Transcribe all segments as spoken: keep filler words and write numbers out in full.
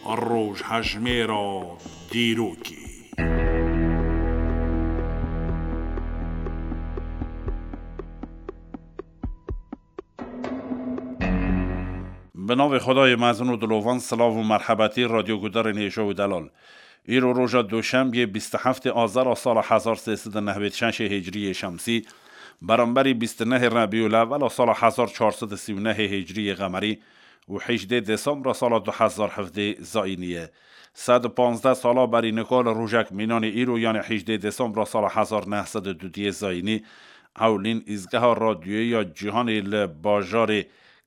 Rojhejmêra dîrokê. Bi navê Xwedayê mezin û dilovan, silav û merhebetî radyogudarên hêja û delal. Îro roja Duşembiyê bîst û heftê Azara sala hezar sê sed û nehwêd şeşê Hicriyê Şemsî, beramberî bîst û nehê Rebîul Ewwela sala hezar çar sed û sî û nehê Hicriyê Qemerî û hejdê Desembra sala du hezar hevdê Zayînî ye. Sed û panzdeh sala berî nika li rojek mînanê îro, yanê hejdê Desembra sala hezar neh sed û dudiyê Zayînî, ewlîn îzgeha radyoyê ya cîhanê li bajarê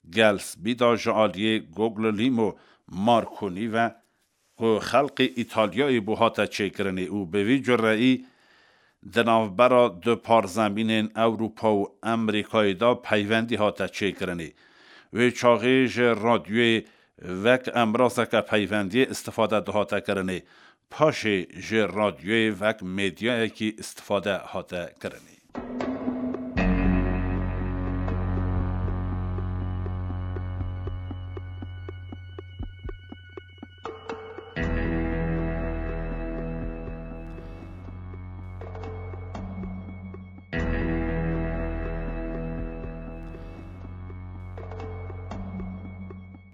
Gelsbî de ji aliyê Guglielmo Marconi ve ku xelqê Îtalyayê bû hate çêkirinê û bi vî cureyî di navbera du parzemînên Ewropa û Amerîkayê de peywendî hate çêkirinê. Wê çaxê ji radyoyê wek embrazeke peywendiyê istifade dihate kirinê. Paşê ji radyoyê wek medyayekî istifade hate kirinê.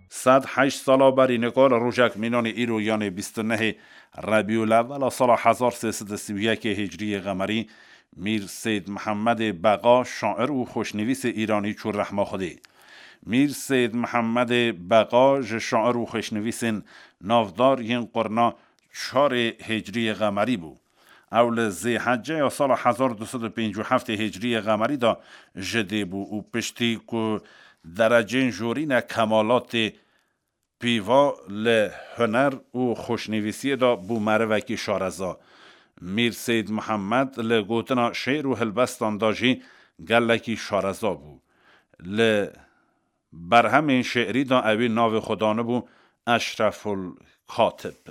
Sed heşt sala berî nika li rojek mînanê îro, yanê bîst û nehê Rebîul Ewwela sala hezar sê sed û sî û yekê Hicriyê Qemerî, Mîr Seyd Mihemedê Beqa, şair û xweşnivîsê îranî çû rehma Xwedê. Mîr Seyd Mihemedê Beqa ji şair û xweşnivîsên navdar yên qurna çarê Hicriyê Qemerî bû. Ew li Zêheceya sala hezar du sed û pêncî û heftê Hicriyê Qemerî de ji dê bû û piştî ku derecên jorîne kemalatê pîva li huner û xweşnivîsiyê de bû merivekî şareza. Mîr Seyd Mihemed li gotina şê'r û helbestan de jî gelekî şareza bû. Li berhemên şê'rî de ewî navê xwe danibû Eşreful Katib.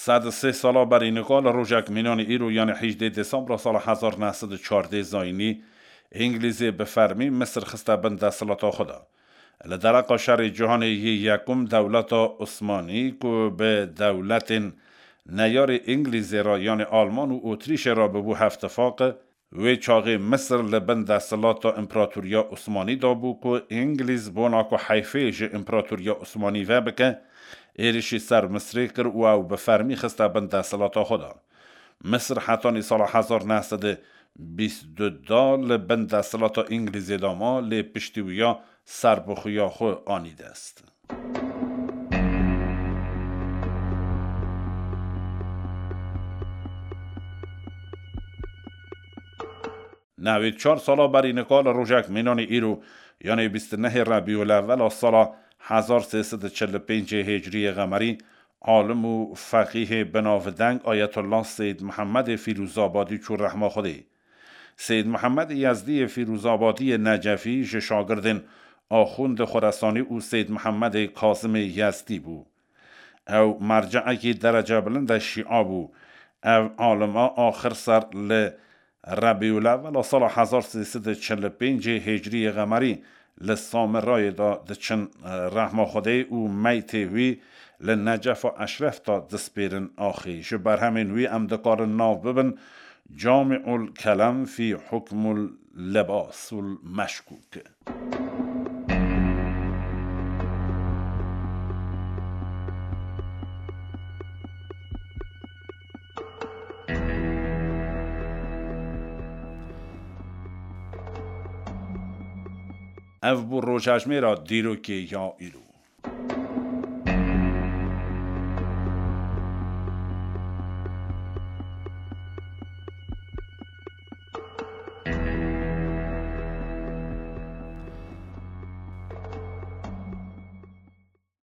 Sed û sê sala berî nika li rojek mînanî îro, yanî hejdê Desembra sala hezar neh sed û çardê zayînî, Îngilîzê bi fermî Misir xiste bin desthilata xwe de. Li dereqa Şerê Cîhanê yê Yekum dewleta Osmanî ku bi dewletên neyarê Îngilîzê re, yanî Alman û Otrîşê re bibû hevtifaq, wê çaxê Misir li bin desthilata Împeratoriya Osmanî de bû ku Îngilîz bona ku heyfê ji Împeratoriya Osmanî vebike, êrişî ser Misirê kir û ew bi fermî xiste bin desthilata xwe de. Misir hetanî sala hezar neh sed û bîst û du da li bin desthilata Îngilîzê de ma, lê piştî wiya serbixweya xwe anî dest. Newêd çar sala berî nika li rojek mînanî îro, yanê bîst û nehê Rebîul Ewwela sala hezar sê sed û çil û pêncê Hicriyê Qemerî, alim û feqîhê binavdeng Ayetullah Seyd Mihemedê Fîrûzabadî çû rehma Xwedê. Seyd Mihemedê Yezdî yê Fîrûzabadî yê Necefî ji şagirdên Axundê Xuresanî û Seyd Mihemedê Kazimê Yezdî bû. Ew merceekî derecebilind e Şîa bû. Ev alima axir ser li Rebîul Ewwela sala hezar sê sed û çil û pêncê Hicriyê Qemerî li Samirayê de diçin, e, rehma Xwedê û meytê wî li Necefa Eşref de dispêrin axê. Ji berhemên wî em dikarin nav bibin Camiul Kelem fî Hukmul Lebasul Meşkûk. Ev bû rojhejmêra dîrokê ya îro.